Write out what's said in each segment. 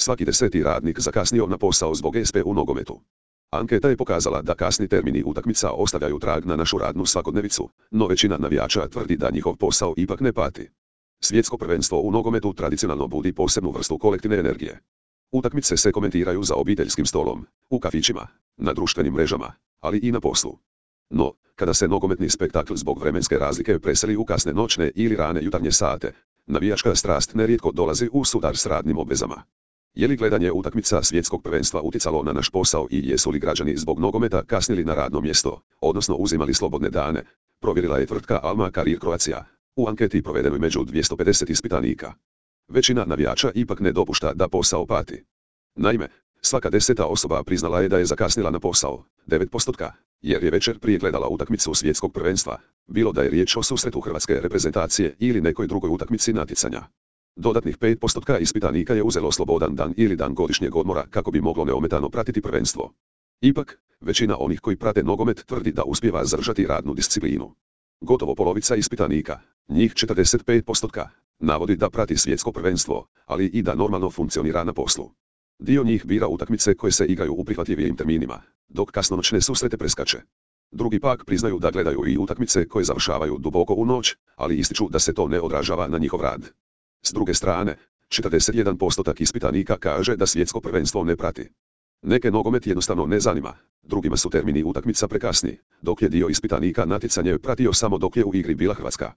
Svaki 10. radnik zakasnio na posao zbog SP u nogometu. Anketa je pokazala da kasni termini utakmica ostavljaju trag na našu radnu svakodnevicu, no većina navijača tvrdi da njihov posao ipak ne pati. Svjetsko prvenstvo u nogometu tradicionalno budi posebnu vrstu kolektivne energije. Utakmice se komentiraju za obiteljskim stolom, u kafićima, na društvenim mrežama, ali i na poslu. No, kada se nogometni spektakl zbog vremenske razlike preseli u kasne noćne ili rane jutarnje sate, navijačka strast nerijetko dolazi u sudar s radnim obvezama. Je li gledanje utakmica svjetskog prvenstva utjecalo na naš posao i jesu li građani zbog nogometa kasnili na radno mjesto, odnosno uzimali slobodne dane, provjerila je tvrtka Alma Career Croatia u anketi provedenoj među 250 ispitanika. Većina navijača ipak ne dopušta da posao pati. Naime, svaka 10. osoba priznala je da je zakasnila na posao, 9%, jer je večer prije gledala utakmicu svjetskog prvenstva, bilo da je riječ o susretu hrvatske reprezentacije ili nekoj drugoj utakmici natjecanja. Dodatnih 5% ispitanika je uzelo slobodan dan ili dan godišnjeg odmora kako bi moglo neometano pratiti prvenstvo. Ipak, većina onih koji prate nogomet tvrdi da uspijeva zadržati radnu disciplinu. Gotovo polovica ispitanika, njih 45%, navodi da prati svjetsko prvenstvo, ali i da normalno funkcionira na poslu. Dio njih bira utakmice koje se igraju u prihvatljivijim terminima, dok kasnonoćne susrete preskače. Drugi pak priznaju da gledaju i utakmice koje završavaju duboko u noć, ali ističu da se to ne odražava na njihov rad. S druge strane, 41% ispitanika kaže da svjetsko prvenstvo ne prati. Neke nogomet jednostavno ne zanima, drugima su termini utakmica prekasni, dok je dio ispitanika natjecanje pratio samo dok je u igri bila Hrvatska.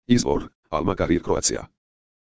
Izvor, Alma Career Croatia.